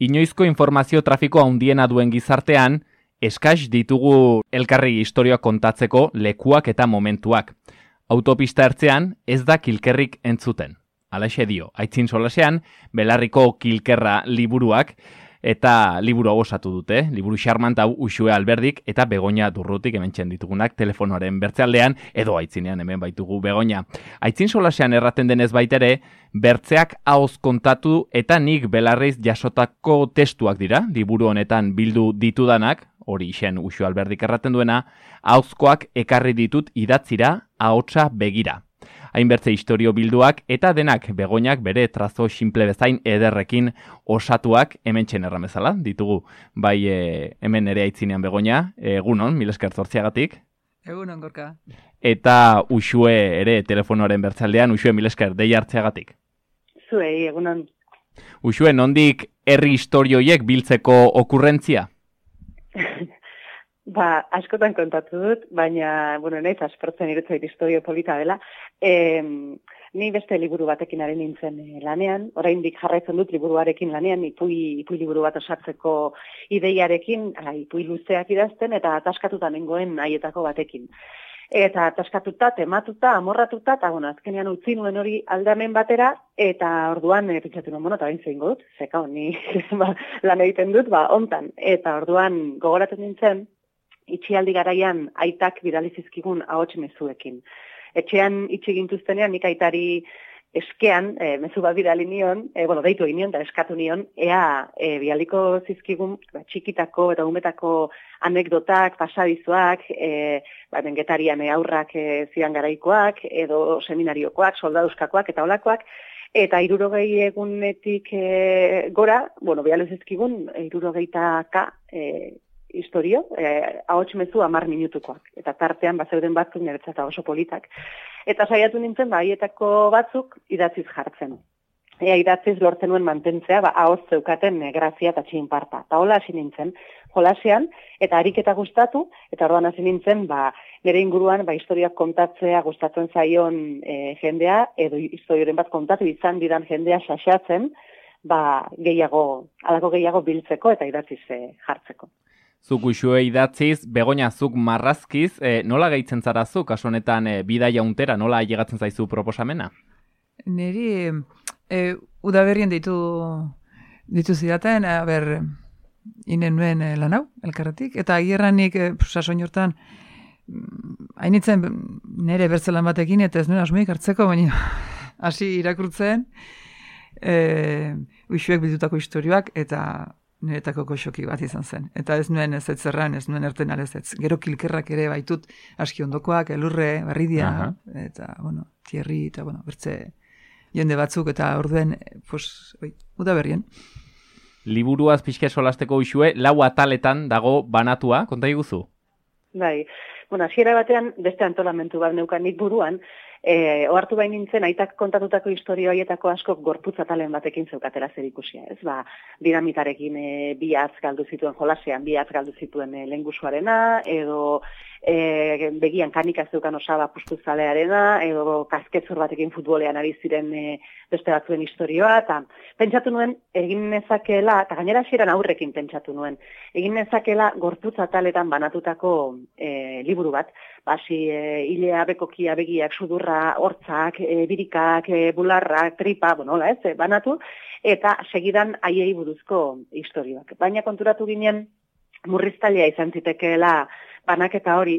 Inoizko informazio trafiko handiena duen gizartean, eskaz ditugu elkarri istorioak kontatzeko lekuak eta momentuak. Autopista ertzean ez da kilkerrik entzuten. Halaxe dio, Aitzin Solasean, Belarriko kilkerra liburuak, eta liburu hau osatu dute, liburu xarmant hau Uxue Alberdik eta Begoña Durrutik hementxen ditugunak telefonoaren bertzealdean, edo Aitzinean hemen baitugu Begoña. Aitzin Solasean erraten denez baitere, bertzeak ahoz kontatu eta nik Belarriz jasotako testuak dira, liburu honetan bildu ditudanak, hori isen Uxue Alberdik erraten duena, ahozkoak ekarri ditut idatzira ahotsa begira. Hainbertze historio bilduak eta denak Begoñak bere trazo simple bezain ederrekin osatuak hementxen erramezala ditugu. Bai hemen ere Aitzinean Begoña, egunon, mil esker zortziagatik. Egunon, Gorka. Eta Uxue ere telefonoaren bertzaldean, Uxue mil esker deia hartzeagatik. Zuei, egunon. Uxue, nondik herri historioiek biltzeko okurrentzia? Askotan kontatu dut, baina, naiz aspertzen irutzait historio polita dela. Ni beste liburu batekin ari nintzen lanean, oraindik jarraitzen dut liburuarekin lanean, ipuin liburu bat osatzeko ideiarekin, ipuin luzeak idazten, eta ataskatuta nengoen haietako batekin. Eta ataskatuta, tematuta, amorratuta, eta azkenean utzi nuen hori aldamen batera, eta orduan pentsatu nuen, eta bain zein dut, zeka honi lan egiten dut, ontan. Eta orduan gogoratzen nintzen, itxialdi garaian aitak bidali zizkigun ahots mezuekin. Etxean itxi gintuztenean nik aitari eskean mezu bat bidali nion, deitu egin nion, da eskatu nion, ea bidaliko zizkigun txikitako eta umetako anekdotak, pasadizoak, bengetarian aurrak zidan garaikoak, edo seminariokoak, soldaduzkakoak eta olakoak, eta 60 egunetik gora, bidali zizkigun 60 historio, ahots mezu 10 minutukoak. Eta tartean bazeuden batzuk niretzat oso politak. Eta saiatu nintzen, haietako batzuk idatziz jartzen. Idatziz lortzen nuen mantentzea, ahots zeukaten grazia eta txinparta. Eta hola hasi nintzen, jolasean, eta ariketa gustatu, eta orduan hasi nintzen, nire inguruan, historiak kontatzea gustatzen zaion jendea, edo historioren bat kontatu izan didan jendea xaxatzen, halako gehiago biltzeko eta idatziz jartzeko. Zuk Uxue idatziz, Begoña zuk marrazkiz, nola gehitzen zara zu, kasu honetan bidaia untera, nola ailegatzen zaizu proposamena? Neri udaberrien ditu zidaten, inen nuen lan hau, elkarretik, eta agierranik sasoin hortan, hainitzen nire bertzelan batekin, eta ez nuen asmoik hartzeko, baina hasi irakurtzen, Uxuek bildutako historioak, eta niretako goxoki bat izan zen. Eta ez nuen ez zerran, ez nuen erten alez ez. Gero kilkerrak ere baitut aski ondokoak, elurre, barridia, eta, tierri, eta, bertze jende batzuk, eta orduen, udaberrien. Liburuaz pixke solasteko Uxue, 4 ataletan dago banatua, konta iguzu? Bai, hasiera batean beste antolamentu bat neukan nik buruan, ohartu bain nintzen, aitak kontatutako historio haietako askok gorputz atalen batekin zeukatela zer ikusia, ez? Dinamitarekin bihatz galdu zituen jolasean, bihatz galdu zituen lengusuarena, edo begian kanika zeukan osaba pustuzalearena, edo kasketzor batekin futbolean ari ziren beste batzuen historioa, eta pentsatu nuen, egin nezakeela, eta gainera hasieran aurrekin pentsatu nuen, egin nezakeela gorputz ataletan banatutako liburu bat, hilea, bekokia, begiak, sudurra, hortzak, birikak, bularrak, tripa, banatu, eta segidan haiei buruzko historioak. Baina konturatu ginen, murriztailea izan zitekeela banaketa hori,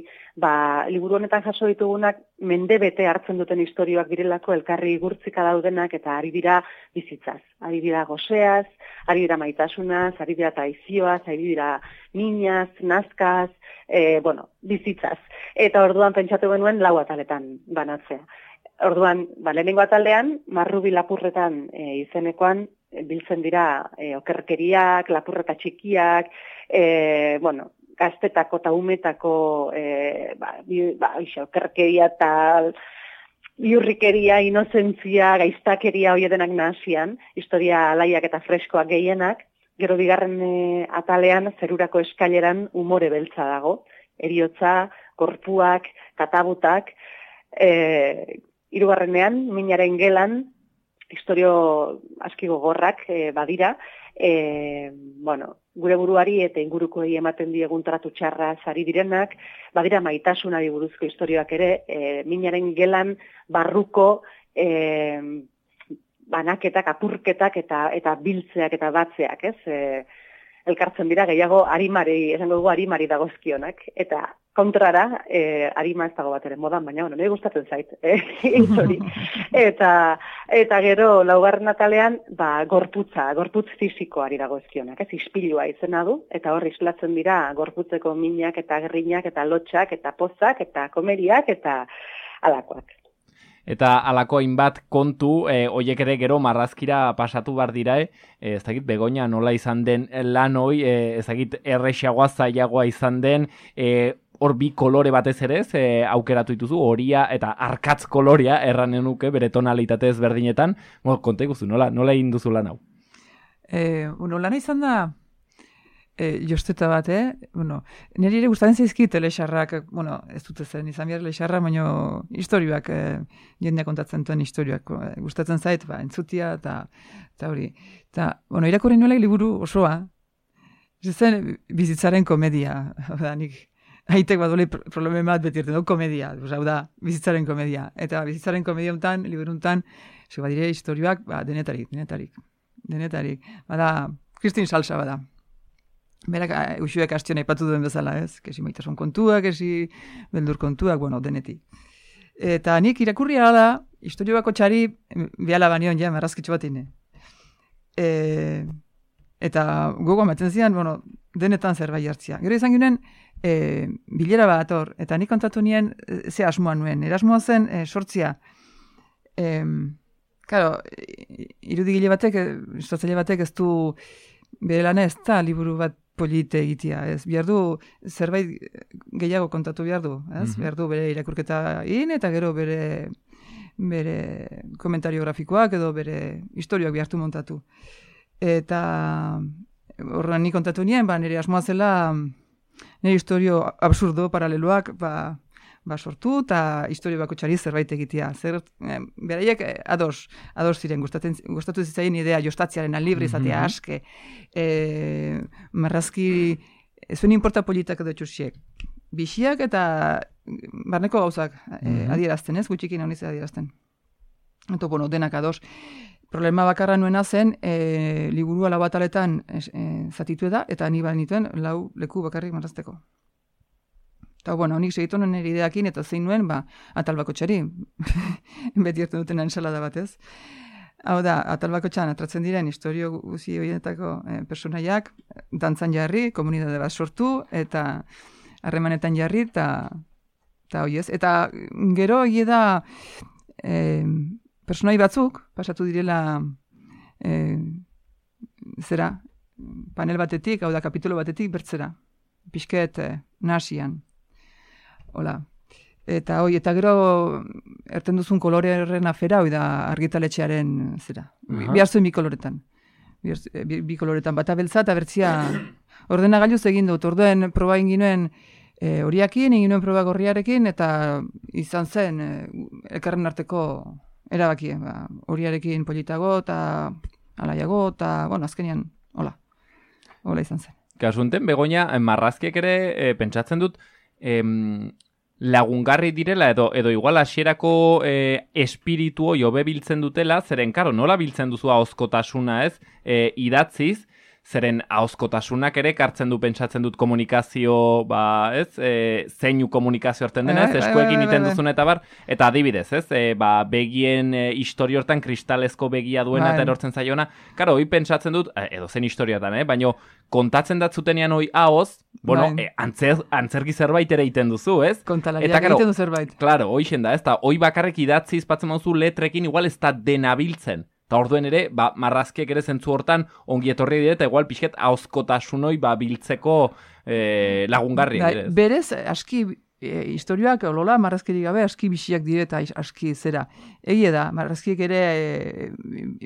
liburu honetan jaso ditugunak mendebete hartzen duten historioak direlako elkarri gurtzika daudenak eta ari dira bizitzaz. Ari dira gozeaz, ari dira maitasunaz, ari dira traizioaz, ari dira minaz, nazkaz, bizitzaz. Eta orduan pentsatu genuen 4 ataletan banatzea. Orduan, lehenengo ataldean, marrubi lapurretan izenekoan, biltzen dira okerkeriak, lapurreta txikiak, gaztetako eta umetako okerkeria eta biurrikeria, inozentzia, gaiztakeria hoiedenak nahasian, historia alaiak eta freskoak gehienak, gero bigarren atalean, zerurako eskaileran umore beltza dago, eriotza, gorpuak, katabutak, hirugarrenean, minaren gelan, historio aski gogorrak badira, gure buruari eta ingurukoei ematen diegun tratu txarra sari direnak, badira maitasunari buruzko istorioak ere, minaren gelan barruko banaketak, apurketak eta biltzeak eta batzeak, ez? Elkartzen dira gehiago esango dugu arimari dagozkionak, eta kontrara, arima ez dago bat ere modan, baina nire gustatzen zait, hori. Eta gero, laugarren atalean, gorputz fisikoari dagozkionak, ez, ispilua izena du, eta hor islatzen dira gorputzeko minak eta gerrinak eta lotxak eta pozak eta komeriak eta alakoak. Eta alako hainbat kontu, hoiek ere gero marrazkira pasatu bar dira, ez dakit Begoña nola izan den lan hoi, ez dakit errexagoa zailagoa izan den, hor bi kolore batez ere, aukeratu dituzu, horia eta arkatz kolorea erranen nuke bere tonalitate ezberdinetan. Konta iguzu, nola egin duzu lan hau? Lana izan da, josteta bat, niri ere gustatzen zaizkit lexarrak, ez dute zen izan behar lexarra, baina historioak, jendea kontatzen duen historioak, gustatzen zait, entzutia, eta hori. Eta, irakurri nuela liburu osoa, ez zen bizitzaren komedia, nik haitek badole probleme bat beti erten, komedia, hau da, bizitzaren komedia. Eta bizitzaren komedia untan, liburu untan, badire historioak, denetarik. Bada, Kristin Salsa bada. Berak usuek astion aipatu duen bezala, ez? Kesi maitasun kontuak, kesi beldur kontuak, denetik. Eta nik irakurri da, historio bako txari biala banion ja, marrazkitxo bat ine. Eta gogo amatzen zian, denetan zerbait hartzia. Gero izan ginen, bilera bat hor, eta nik kontatu nien ze asmoa nuen. Erasmoa zen sortzia. Claro, irudigile batek, istatzaile batek ez du bere lana ez da liburu bat polite egitea, ez? Behar du zerbait gehiago kontatu behar du, ez? Behar du bere irakurketa eta gero bere komentario grafikoak edo bere historioak behartu montatu. Eta horren nik kontatu nien, nire asmoa zela nire historio absurdo paraleloak sortu eta historio bako txari zerbait egitea. Beraiek ados ziren, gustatu zitzaien idea jostatziaren libre izatea aske. Marrazki, zuen inporta politak edo txusiek. Bixiak eta barneko gauzak adierazten, ez? Gutxikin honiz adierazten. Eta, denak ados. Problema bakarra nuena zen, liburua lau ataletan zatitu eta ni nituen lau leku bakarrik marrazteko. Eta, nik segitu nuen nire ideakin, eta zein nuen, atal bako txari. Beti hartu duten ensalada batez. Hau da, atal bako txan atratzen diren historio guzi horietako personaiak, dantzan jarri, komunidade bat sortu, eta harremanetan jarri, eta hoiez. Eta gero hie da personai batzuk, pasatu direla panel batetik, hau da, kapitulo batetik bertzera. Pixket nasian. Hola. Eta gero erten duzun koloreren afera, da argitaletxearen bihar zuen bi koloretan. Bi koloretan, bata beltza eta bertzia ordenagailuz egin dut. Orduen proba inginuen horiakin, inginuen proba gorriarekin, eta izan zen elkarren arteko erabakie. Horiarekin politago eta alaiago, eta azkenean, hola izan zen. Kasunten, Begoña, marrazkiek ere pentsatzen dut, lagungarri direla edo igual hasierako espiritu hori hobe biltzen dutela, zeren, nola biltzen duzu ahozkotasuna, ez? Idatziz, zeren ahozkotasunak ere kartzen du pentsatzen dut komunikazio, zeinu komunikazio hartzen dena, ez? Eskuekin iten duzun eta bar, eta adibidez, ez? Begien historio hortan kristalezko begia duena eta erortzen zaiona, hoi pentsatzen dut, edo zen historiotan, baina kontatzen datzutenean hoi ahoz, antzerki zerbait ere iten duzu, ez? Kontalariak egiten du zerbait. Claro, hoixen da, ez da, hoi bakarrek idatziz batzen mauzu letrekin igual ez da denabiltzen. Eta orduen ere, marrazkiek ere zentzu hortan ongi etorri dire, eta igual pixket ahozkotasunoi biltzeko lagungarriak. Berez, aski historioak, olola, marrazkirik gabe, aski biziak dire eta aski zera. Egie da, marrazkiek ere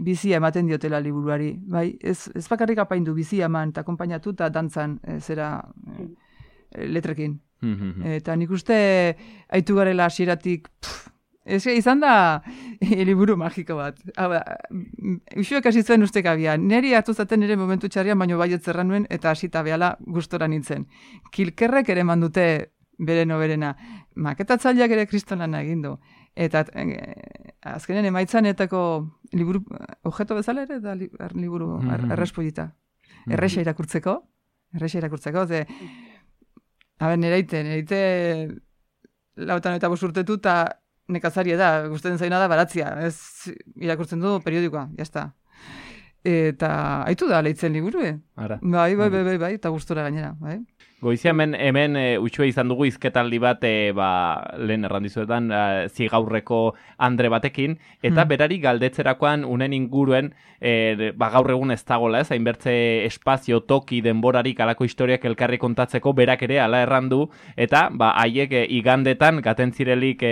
bizia ematen diotela liburuari. Ez bakarrik apaindu bizia eman eta konpainatu eta dantzan letrekin. Eta nik uste haitu garela hasieratik izan da liburu magiko bat. Uxuek hasi zuen ustek abian. Neri hartu zaten nire momentu txarrian, baino baiet zerra nuen, eta hasita behala gustora nintzen. Kilkerrek ere mandute bere noberena. Maketatzaileak ere kristolana egin du. Eta azkenen emaitzanetako liburu, objeto bezala ere, da liburu errespolita. Erresa irakurtzeko, ze, nereite lautan eta bosurtetu, eta nekazaria da, gustatzen zaina da baratzia, ez irakurtzen du periodikoa, jazta. Eta haitu da leitzen liburu, Bai, eta gustora gainera, bai. Goizia hemen utxue izan dugu izketaldi bat, lehen errandizuetan, zigaurreko Andre batekin, eta berari galdetzerakoan unen inguruen, gaur egun ez dagoela, hainbertze espazio, toki, denborarik alako historiak elkarri kontatzeko, berak ere ala errandu, eta haiek igandetan, gatentzirelik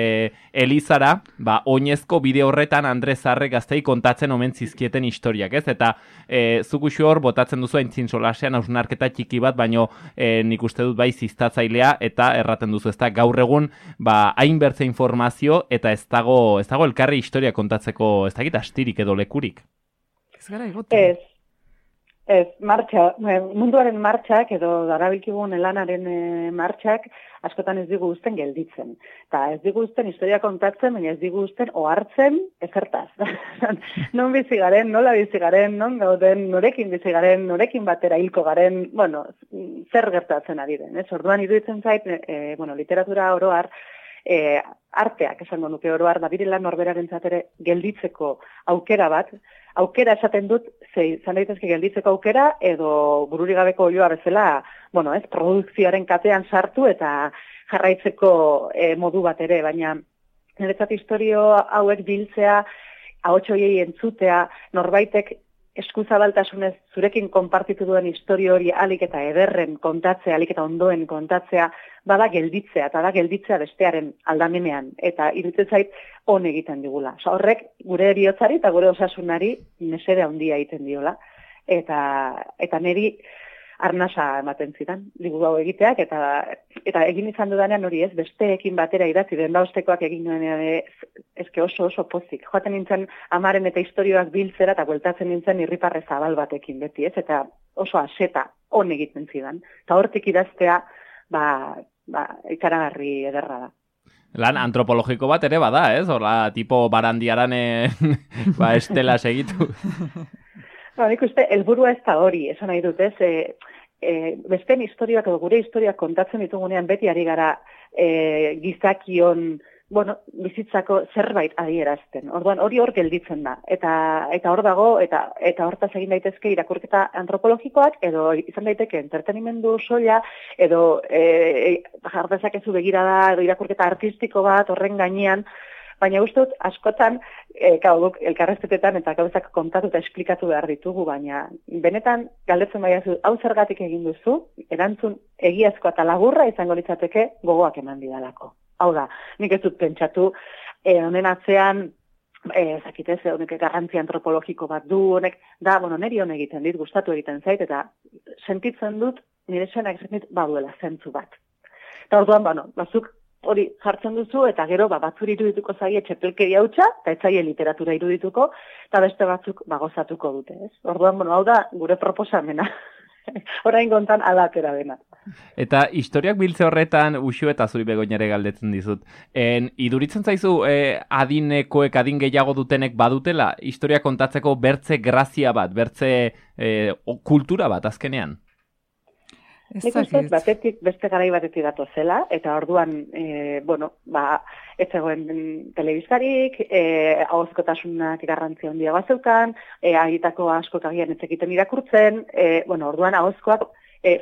Elizara, oinezko bideo horretan Andre Zarre gaztei kontatzen omen zizkieten historiak, ez? Eta zuk uxu hor, botatzen duzu aintzin solasean hausnarketa txiki bat, baino nik uste dut bai ziztatzailea eta erraten duzu, ez da gaur egun hainbertze informazio eta ez dago elkarri historia kontatzeko ez dakit astirik edo lekurik. Ez gara egoten. Ez, munduaren martxak edo darabilkigun lanaren martxak askotan ez digu uzten gelditzen. Eta ez digu uzten historia kontatzen, baina ez digu uzten ohartzen ezertaz. Non bizi garen, nola bizi garen, non gauden, norekin bizi garen, norekin batera hilko garen, zer gertatzen ari den. Orduan iruditzen zait, literatura oroar, arteak esango nuke oroar, direla norberarentzat ere gelditzeko aukera bat, aukera esaten dut, izan daitezke gelditzeko aukera, edo bururi gabeko olioa bezala, produkzioaren katean sartu eta jarraitzeko modu bat ere, baina niretzat historio hauek biltzea, ahots horiei entzutea, norbaitek eskuzabaltasunez zurekin konpartitu duen historio hori alik eta ederren kontatzea, alik eta ondoen kontatzea, bada gelditzea, eta da gelditzea bestearen aldamenean, eta iruditzen zait on egiten digula. Horrek gure bihotzari eta gure osasunari mesede handia egiten diola, eta niri arnasa ematen zidan, liburu hau egiteak, eta egin izan dudanean hori ez, besteekin batera idatzi, dendaostekoak egin duenean ezke oso pozik. Joaten nintzen amaren eta historioak biltzera, eta bueltatzen nintzen irriparre zabal batekin beti, ez? Eta oso aseta on egiten zidan. Eta hortik idaztea, ikaragarri ederra da. Lan antropologiko bat ere bada, ez? Horla, tipo barandiaran estela segitu. Nik uste, helburua ez da hori, esan nahi dut, ez? Besteen historiak edo gure historiak kontatzen ditugunean beti ari gara gizakion, bizitzako zerbait adierazten. Orduan, hori hor gelditzen da. Eta hor dago, eta hortaz egin daitezke irakurketa antropologikoak, edo izan daiteke entretenimendu soila, edo jardezakezu begirada, edo irakurketa artistiko bat horren gainean, baina uste dut, askotan, guk elkarrezketetan eta gauzak kontatu eta esplikatu behar ditugu, baina benetan galdetzen baiazu, hau zergatik egin duzu, erantzun egiazkoa eta laburra izango litzateke gogoak eman didalako. Hau da, nik ez dut pentsatu, honen atzean, zakitez, honek garrantzi antropologiko bat du, honek, niri hon egiten dit, gustatu egiten zait, eta sentitzen dut, nire senak sentit, baduela zentzu bat. Eta orduan, bazuk, hori jartzen duzu, eta gero batzuri irudituko zaie txepelkeria hutsa, eta etzaie literatura irudituko, eta beste batzuk gozatuko dute, ez? Orduan, hau da gure proposamena. Orain gontan adatera dena. Eta historiak biltze horretan, Uxu eta zuri Begoñare galdetzen dizut. Iduritzen zaizu adinekoek, adin gehiago dutenek badutela, historia kontatzeko bertze grazia bat, bertze kultura bat azkenean? Nik uste, batetik beste garai batetik datozela, eta orduan, ez zegoen telebistarik, ahozkotasunak garrantzia handia bazeukan, agitako askok agian ez egiten irakurtzen, orduan ahozkoak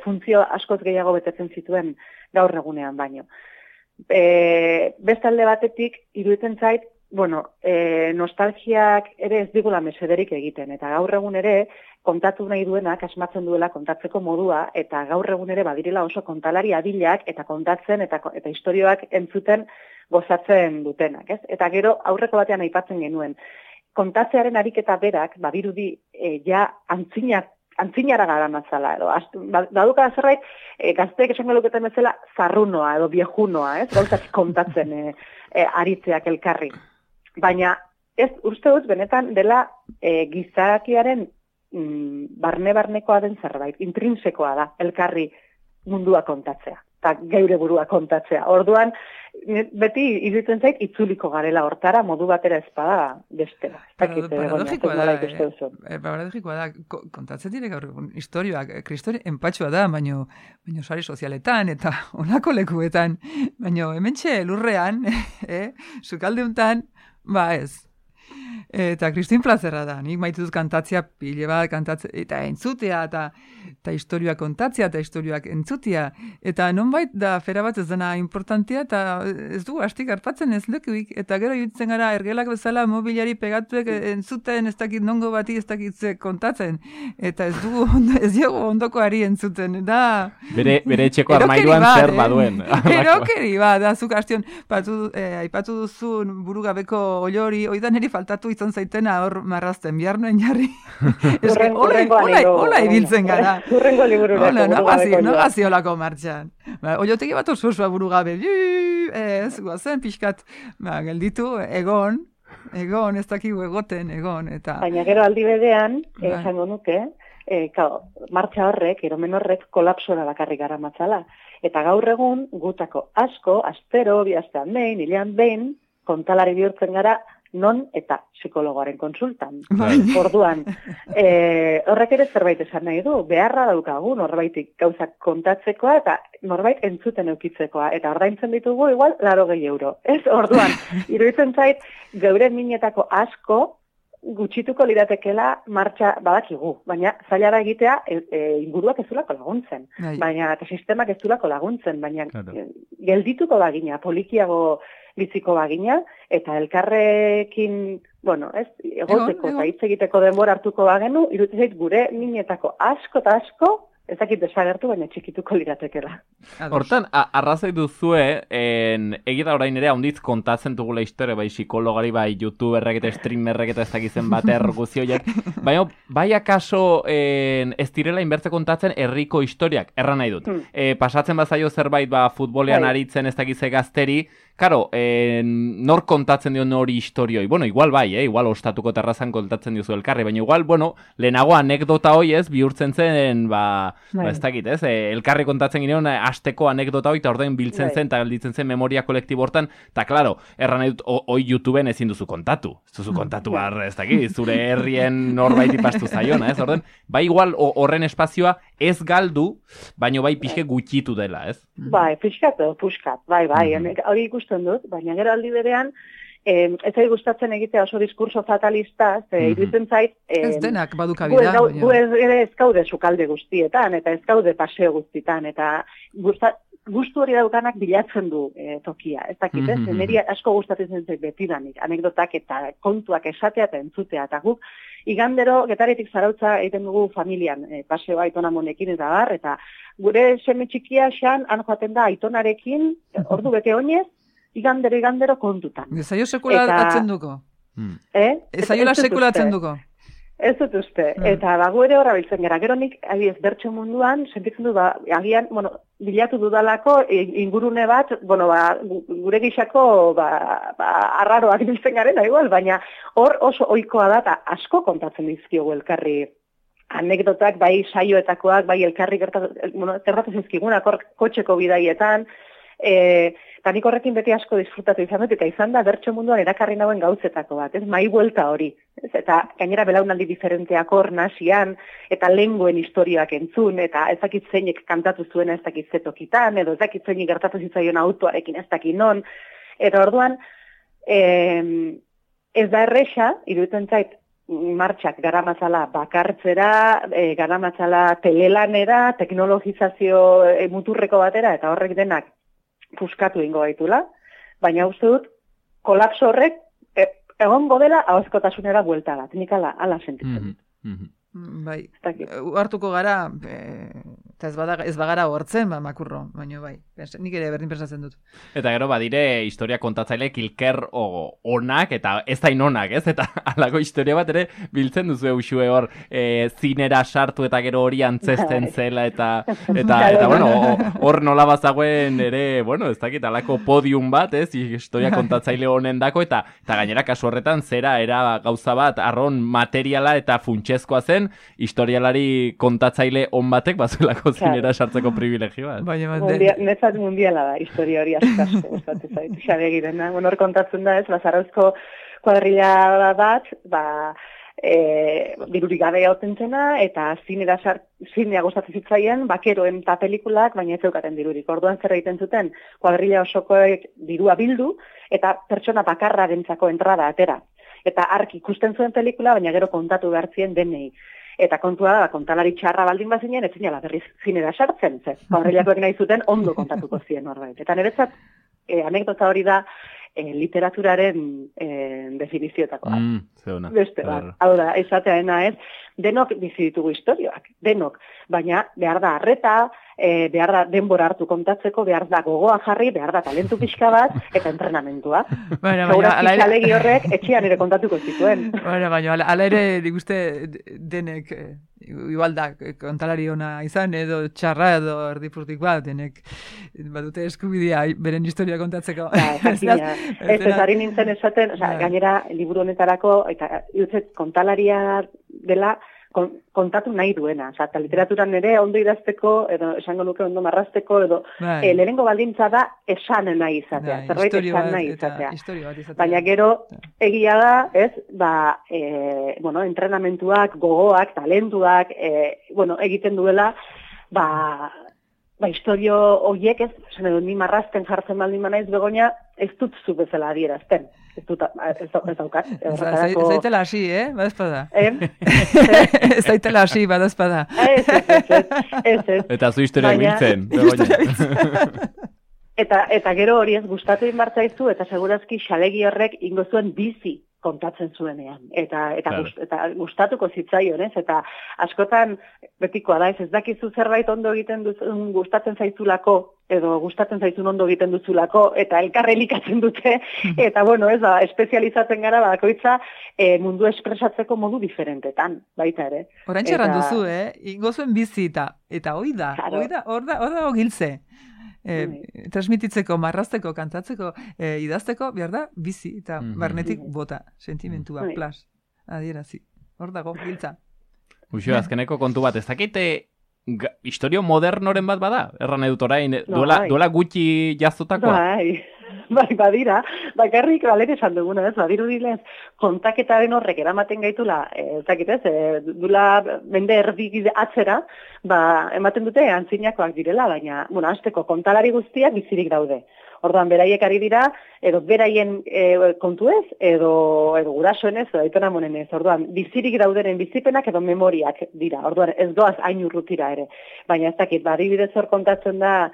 funtzio askoz gehiago betetzen zituen gaur egunean baino. Beste alde batetik, iruditzen zait, nostalgiak ere ez digula mesederik egiten, eta gaur egun ere, kontatu nahi duenak asmatzen duela kontatzeko modua, eta gaur egun ere badirela oso kontalari adilak, eta kontatzen, eta istorioak entzuten gozatzen dutenak, ez? Eta gero aurreko batean aipatzen genuen, kontatzearen ariketa berak, badirudi, antzinak antzinara gara matzala, edo, baduka zerbait, gazteek esango luketen bezala, zarrunoa edo viejunoa, ez? Gauzak kontatzen aritzeak elkarri. Baina, ez uste dut, benetan dela gizakiaren barne-barnekoa den zerbait, intrinsekoa da, elkarri mundua kontatzea, eta geure burua kontatzea. Orduan, beti iruditzen zait, itzuliko garela hortara, modu batera ezpada bestela. Paradogikoa da, kontatzen dire gaur historioak, kristori enpatxoa da, baino sari sozialetan, eta onako lekuetan, baino hementxe lurrean, sukalde untan, ez. Eta kristin plazerra da, nik maitut kantatzea pile bat, kantatzea, eta entzutea, eta historioak kontatzea, eta historioak entzutea, eta nonbait da fera bat ez dena importantea, eta ez du, hastik hartatzen ez lekuik, eta gero jutzen gara ergelak bezala mobiliari pegatuek entzuten, ez dakit nongo bati, ez dakit kontatzen, eta ez diogu ondokoari entzuten, da... Bere etxeko armairuan zer baduen. Erokeri bat, da, zuk hastion, aipatu duzun burugabeko olori, oidan eri faltatu izan zaitena hor marrazten, bihar nuen jarri. Hola ibiltzen gara. Urrengo liburureko. No gazi holako martxan. Oiotegi bat oso burugabe. Ez, guazen pixkat, gelditu, egon, ez dakigu egoten, eta... Baina gero aldi bedean, esango nuke, martxa horrek, eromen horrek, kolapsora bakarrik gara matzala. Eta gaur egun, gutako asko, astero, bihaztean behin, hilean behin, kontalari bihurtzen gara, non eta psikologoaren konsultan. Orduan, horrek ere zerbait esan nahi du, beharra daukagu norbaitik gauzak kontatzekoa eta norbait entzuten eukitzekoa. Eta ordaintzen ditugu igual 80 euro. Ez, orduan, iruditzen zait, geure minetako asko gutxituko liratekela martxa badakigu. Baina zaila da egitea inguruak ez zulako laguntzen. Baina eta sistemak ez zulako laguntzen. Baina geldituko bagina, polikiago biziko bagina, eta elkarrekin, egoteko eta hitz egiteko denbora hartuko bagenu, iruditzen zait gure minetako asko eta asko, ez dakit desagertu, baina txikituko liratekela. Hortan, arrazoi duzue, egita orain ere haunditz kontatzen dugula historia, bai psikologari, bai youtuberrek eta streamerrek eta ez dakizen bater guzioiek, baina bai akaso ez direla inbertze kontatzen herriko historiak, erran nahi dut. Pasatzen bazaio zerbait futbolean aritzen ez dakize gazteri, karo, nor kontatzen dio nori historioi? Bueno, igual bai, igual ostatuko terrazan kontatzen diozu elkarri, baina igual, lehenago anekdota hoi ez, bihurtzen zen, ez dakit, ez? Elkarri kontatzen gineon, asteko anekdota hoi, eta ordein biltzen zen, eta gelditzen zen memoria kolektibo hortan, eta klaro, erran nahi dut, hoi YouTubeen ezin duzu kontatu. Ez duzu kontatu ez dakit, zure herrien norbait ipastu zaiona, ez? Ordein, bai igual horren espazioa ez galdu, baina bai pixke gutxitu dela, ez? Bai, puskat, bai, hori ikusten dut, baina gero aldi berean, ez zait gustatzen egitea oso diskurso fatalista, iruditzen zait... Ez denak badukabida. Gu ez gaude sukalde guztietan, eta ez gaude paseo guztietan, eta gustu hori daukanak bilatzen du tokia. Ez dakit, ez? Neri asko gustatzen zait betidanik, anekdotak eta kontuak esatea eta entzutea, eta guk igandero getaritik zarautza egiten dugu familian, paseoa aitonamonekin eta bar, eta gure seme txikia xan, han joaten da aitonarekin, ordu bete oinez, igandero kontutan. Ezaio sekula atzen duko. Ezaiola sekula atzen duko. Ez dut uste. Eta bago ere horra biltzen gara. Gero nik, bertso munduan, sentitzen du, agian, bilatu dudalako ingurune bat, gure gixako, arraroak biltzen garen, igual, baina hor oso ohikoa da, eta asko kontatzen dizkiogu elkarri anekdotak, bai saioetakoak, bai elkarri gertatu zizkigunak, kotxeko bidaietan, eta nik horrekin beti asko disfrutatu izan dut, eta izan da bertso munduan erakarri nauen gauzetako bat, ez, mai buelta hori. Eta gainera belaunaldi diferenteak hor nasian, eta lenguen historioak entzun, eta ez dakit zeinek kantatu zuena ez dakit zetokitan, edo ez dakit zeinek gertatu zitzaion autoarekin ez dakit non. Eta orduan, ez da erresa, iruditzen zait, martxak garamatzala bakartzera, garamatzala telelanera, teknologizazio muturreko batera, eta horrek denak puskatu ingo gaitula, baina uste dut, kolapso horrek egongo dela ahozkotasunera buelta bat, nik ala sentitzen. Bai, hartuko gara Eta ez bagara hortzen, makurro, baina bai. Nik ere berdin pensatzen dut. Eta gero badire historia kontatzaile kilker onak eta ez dain onak, ez? Eta alako historia bat ere biltzen duzu eusue hor zinera sartu eta gero hori antzesten zela eta bueno, hor nola bazagoen ere, bueno, ez dakit, alako podium bat, ez? Historia kontatzaile honen dako eta gainera kasu horretan zera era gauza bat arron materiala eta funtsezkoa zen historialari kontatzaile on batek bazuelako zinera sartzeko privilegio bat. Nezat mundiala da, historia hori asko gustatu zait. Xabegirena, hor kontatzen da ez, Zarauzko kuadrilla bat, dirurik gabe gauten zena, eta zinea gustatzen zitzaien, bakeroen eta pelikulak, baina ez zeukaten dirurik. Orduan zer egiten zuten, kuadrilla osokoek dirua bildu, eta pertsona bakarrarentzako entrada atera. Eta ark ikusten zuen pelikula, baina gero kontatu behar zien denei. Eta kontua da, kontalari txarra baldin bazinen, ez zinela berriz zinera sartzen, kuadrillakoek nahi zuten ondo kontatuko zien norbait. Eta niretzat, anekdota hori da, literaturaren definizioetakoa. Beste bat, hau da, esateaena ez, denok bizi ditugu historioak, denok, baina behar da arreta, behar da denbora hartu kontatzeko, behar da gogoa jarri, behar da talentu pixka bat, eta entrenamentua. Segurazki txalegi horrek etxean ere kontatuko zituen. Baina, ala ere, diguste denek, igual da, kontalari ona izan, edo txarra, edo erdipurtik bat, denek badute eskubidea beren historia kontatzeko. Ez ari nintzen esaten, gainera, liburu honetarako, eta kontalaria dela, kontatu nahi duena. Eta literaturan ere ondo idazteko, edo esango nuke ondo marrazteko, edo lehenengo baldintza da esan nahi izatea. Zerbait esan nahi izatea. Baina gero egia da, ez, entrenamentuak, gogoak, talentuak, egiten duela, historio horiek ez, ni marrazten jartzen baldin manaiz Begoña, ez dut zu bezala adierazten. Ez daukat. Zaitela hasi, badazpada. Ez zaitela hasi, badazpada. Ez. Eta zu historiak biltzen. Eta gero hori ez gustatu inbartzaizu, eta segurazki xalegi horrek ingo zuen bizi kontatzen zuenean. Eta gustatuko zitzaion, ez? Eta askotan betikoa da, ez dakizu zerbait ondo egiten duzun, gustatzen zaizulako, edo gustatzen zaizun ondo egiten duzulako, eta elkarre elikatzen dute, eta ez da, espezializatzen gara, bakoitza mundu espresatzeko modu diferentetan, baita ere. Orain txerran duzu, ingo zuen bizi eta hoi da, hor da giltze. Transmititzeko, marrazteko, kantatzeko, idazteko, behar da, bizi eta barnetik bota, sentimentua, plas, adierazi. Hor dago, giltza. Uxo, azkeneko kontu bat, ez dakite historio modernoren bat bada? Erran edut orain, duela gutxi jaztotakoa? Bai, badira, bakarrik balen esan duguna, ez, badirudilez, kontaketaren horrek eramaten gaitula, ez dakit ez, dula mende erdik atzera, ematen dute antzinakoak direla, baina, hasteko kontalari guztiak bizirik daude. Orduan, beraiek ari dira, edo beraien kontu ez, edo gurasoen ez, edo aitona monen ez. Orduan, bizirik daudenen bizipenak edo memoriak dira. Orduan, ez doaz hain urrutira ere. Baina ez dakit, adibidez hor kontatzen da,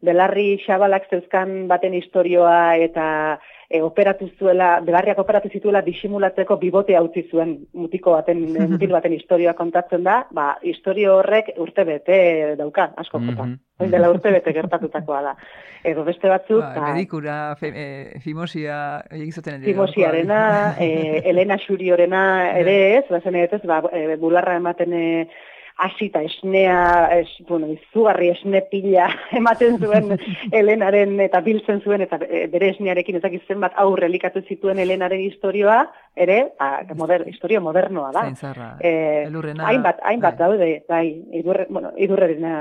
Belarri Xabalak zeuzkan baten historioa eta Belarriak operatu zituela disimulatzeko bibotea utzi zuen mutil baten historioa kontatzen da, historio horrek urtebete dauka, asko jota. Dela urtebete gertatutakoa da. Edo beste batzuk... Medikura, Fimosia, Fimosiarena, Elena Xuriorena ere ez, bularra ematen... Asita esnea, izugarri esne pila ematen zuen Elenaren eta biltzen zuen, eta bere esnearekin ezakitzen bat aurre elikatu zituen Elenaren historioa, ere, historio modernoa da. Elurrena. Hainbat daude, bai, elurrerena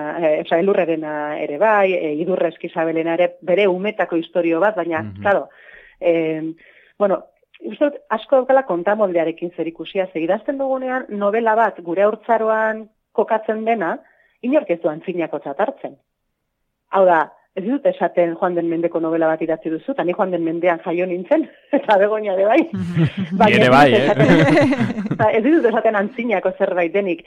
ere bai, idurre eskizabelena ere bere umetako historio bat, baina, claro, uste dut, asko daukala kontamoldearekin zer ikusia, idazten dugunean novela bat gure haurtzaroan kokatzen dena, inork ez du antzinako hartzen. Hau da, ez dut esaten Joan den Mendeko novela bat idatzi duzu, eta ni Joan den Mendean jaio nintzen, eta Begoña ere bai. Ere bai, Ez dut esaten antzinako zerbait denik.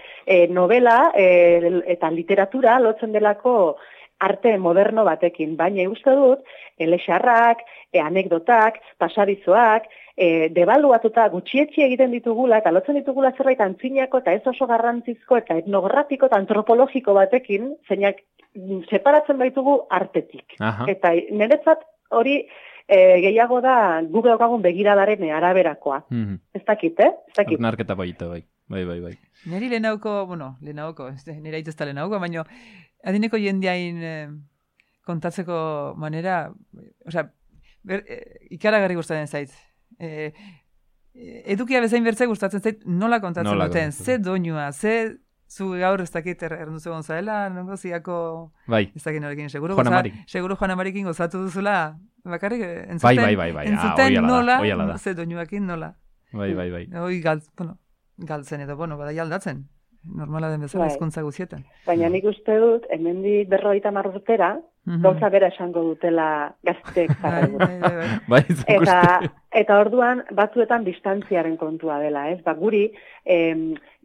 Novela eta literatura lotzen delako arte moderno batekin, baina uste dut, elexarrak, anekdotak, pasadizoak, debaluatuta gutxietxi egiten ditugula, eta lotzen ditugula zerbait antzinako eta ez oso garrantzizko eta etnografiko eta antropologiko batekin, zeinak separatzen baitugu artetik. Eta niretzat hori gehiago da guk daukagun begiradaren araberakoa. Ez dakit, Ez dakit. Narketa baita, bai. Bai. Neri lehenauko, nire aitezta lehenauko, baina adineko jendeain kontatzeko manera, ikaragarri gustatzen zait. Edukia bezain bertze gustatzen zait nola kontatzen duten, ze doinua, ze zu gaur ez dakit erranduze gonzaela, nongo ziako, ez dakit norekin, seguro Juan Amarikin gozatu duzula, bakarrik entzuten nola, ze doinuakin nola. Bai. Hoi galtzen edo, badai aldatzen. Normala den bezala hizkuntza guztietan. Baina nik uste dut, hemendik 50 urtera, gauza bera esango dutela gazteek Bai. Eta orduan, batzuetan distantziaren kontua dela, ez? Guri,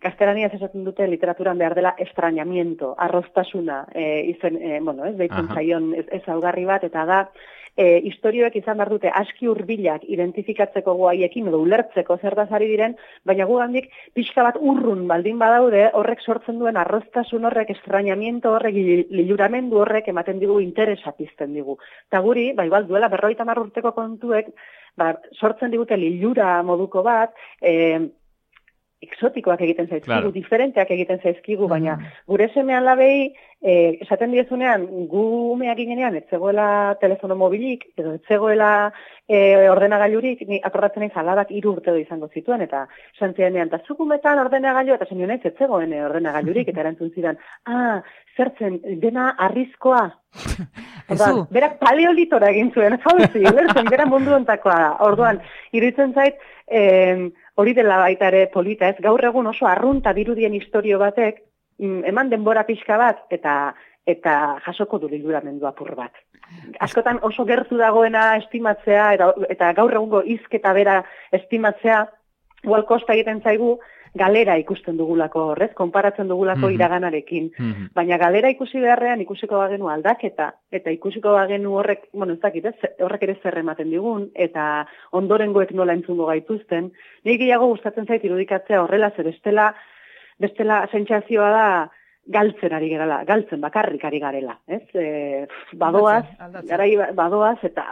gaztelaniaz esaten dute literaturan behar dela estrañamiento, arroztasuna, deitzen zaion ezaugarri bat, eta da, historioek izan behar dute aski hurbilak identifikatzeko guaiekin edo ulertzeko zertaz ari diren, baina gugandik pixka bat urrun baldin badaude horrek sortzen duen arroztasun horrek, estrañamiento horrek, liluramendu horrek ematen digu interesa pizten digu. Eta guri, igual duela 50 urteko kontuek, sortzen digute lilura moduko bat, exotikoak egiten zaizkigu, diferenteak egiten zaizkigu, baina gure semean labei, esaten diezunean, gu umeak ginean, ez zegoela telefono mobilik, edo ez zegoela ordenagailurik, ni akordatzen naiz alabak 3 urte izango zituen, eta santzianean, eta zukumetan ordenagailu, eta zenio naiz ez zegoen ordenagailurik, eta erantzun zidan, zertzen, dena arrizkoa. Berak paleolitora egin zuen, zauzi, bera mundu ontakoa. Orduan, iruditzen zait, hori dela baita ere polita, ez gaur egun oso arrunta dirudien historio batek, eman denbora pixka bat, eta jasoko du liluramendu apur bat. Askotan oso gertu dagoena estimatzea, eta gaur egungo hizketa bera estimatzea, igual kosta egiten zaigu, galera ikusten dugulako horrez, konparatzen dugulako iraganarekin. Baina galera ikusi beharrean ikusiko bagenu aldaketa, eta ikusiko bagenu horrek, ez dakit, horrek ere zer ematen digun, eta ondorengoek nola entzungo gaituzten. Nik gehiago gustatzen zait irudikatzea horrela, zer bestela sentsazioa da galtzen ari garela, galtzen bakarrik ari garela. Badoaz, eta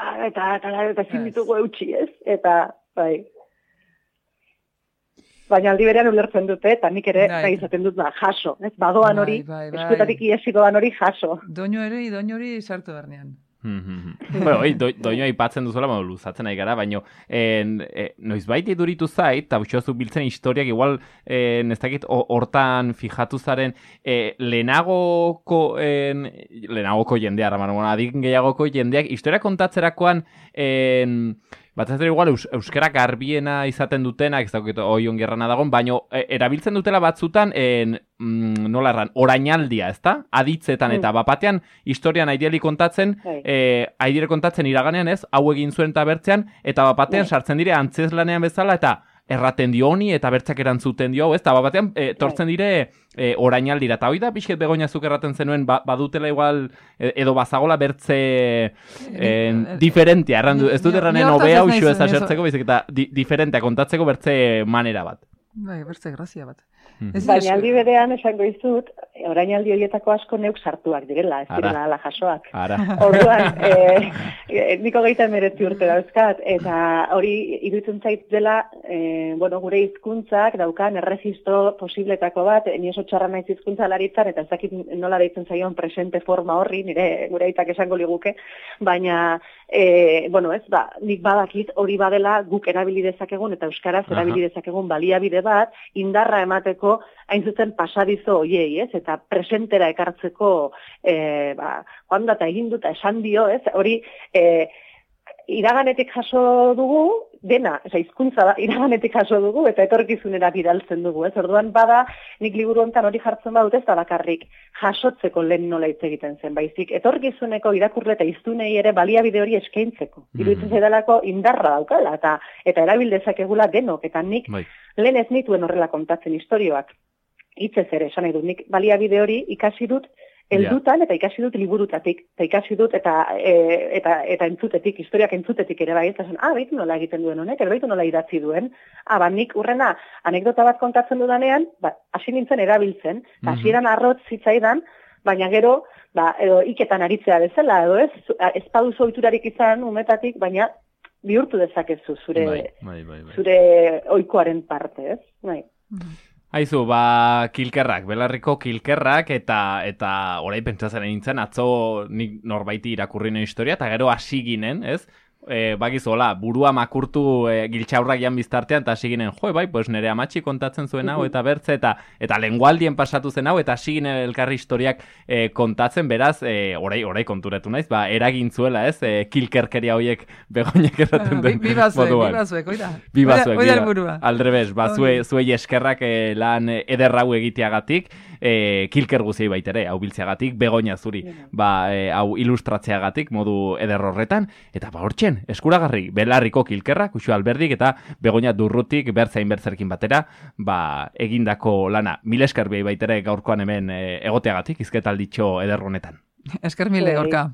ezin ditugu eutxi, ez? Eta, bai. Baina aldi berean ulertzen dute, eta nik ere izaten dut jaso. Badoan hori, eskuetatik iesikoan hori jaso. Doinu hori sartu bernean. Doinua ipatzen duzuela, luzatzen nahi gara, baina noizbait iduritu zait, eta butxoazu biltzen historiak, igual, ez dakit, hortan fijatu zaren, lehenagoko jendea, adik gehiagoko jendeak, historia kontatzerakoan, bat ez igual euskara garbiena izaten dutenak, ez dakit hoi ongerrana dagoen, baina erabiltzen dutela batzutan, nola erran, orainaldia, ezta? Aditzetan eta bapatean historian aidiali kontatzen, aidire kontatzen iraganean ez, hau egin zuen eta bertzean, eta bapatean sartzen dire antzeslanean bezala, eta erraten dio honi, eta bertzak erantzuten dio, ez? Eta bapatean tortzen dire orainaldira, eta hoi da pixket Begoñazuk erraten zenuen, badutela igual, edo bazagola bertze diferentia, ez dut erranen obea uxu ez asertzeko, baizik eta diferentea kontatzeko bertze manera bat. Bai, bertze grazia bat. Baina aldi berean esango izut, orainaldi horietako asko neuk sartuak direla, ez direla ala jasoak. Orduan, niko 19 urte dauzkat, eta hori iruditzen zait dela, gure hizkuntzak daukan erregistro posibletako bat, ni oso txarra naiz hizkuntzalaritzan, eta ez dakit nola deitzen zaion presente forma horri, gure aitak esango liguke, baina, nik badakit hori badela guk erabili dezakegun, eta euskaraz erabili dezakegun baliabide bat, indarra emateko hain zuzen pasadizo hoiei, ez? Eta presentera ekartzeko joan data egin duta esan dio, ez? Hori iraganetik jaso dugu, dena, hizkuntza da, iraganetik jaso dugu, eta etorkizunera bidaltzen dugu, ez? Orduan bada, nik liburu honetan hori jartzen badut ez da bakarrik jasotzeko lehen nola hitz egiten zen, baizik, etorkizuneko irakurle eta hiztunei ere baliabide hori eskaintzeko. Iruditzen zaidalako indarra daukala, eta erabil dezakegula denok, eta nik lehen ez nituen horrela kontatzen istorioak. Hitzez ere, esan nahi dut, nik baliabide hori ikasi dut heldutan eta ikasi dut liburutatik, eta ikasi dut eta entzutetik, historiak entzutetik ere bai, eta zen, baitu nola egiten duen honek, baitu nola idatzi duen, nik urrena anekdota bat kontatzen dudanean, hasi nintzen erabiltzen, eta hasieran arrotz zitzaidan, baina gero, edo iketan aritzea bezala, edo ez paduzu ohiturarik izan umetatik, baina bihurtu dezakezu zure ohikoaren parte, ez? Bai. Aizu, kilkerrak, belarriko kilkerrak, eta orai pentsatzen nintzen, atzo nik norbaiti irakurri nuen historia, eta gero hasi ginen, ez? Bakizola, burua makurtu giltxaurrak jan biztartean, eta hasi ginen, pues nire amatxi kontatzen zuen hau, eta bertze, eta lengualdien pasatu zen hau, eta hasi ginen elkarri historiak kontatzen, beraz, orai konturatu naiz, eragin zuela, ez? Kilkerkeria horiek Begoñak erraten den moduan. Bibazuek, aldrebes, zuei eskerrak lan ederrau egiteagatik, kilker guziei baitere, hau biltzeagatik, Begoña zuri, hau ilustratzeagatik, modu eder horretan, eta hortxe, eskuragarri, belarriko kilkerrak, Uxu Alberdik eta Begoña Durrutik bertzain bertzerkin batera, egindako lana. Mil esker behi baitere gaurkoan hemen egoteagatik, izketalditxo eder honetan. Esker mile, Gorka.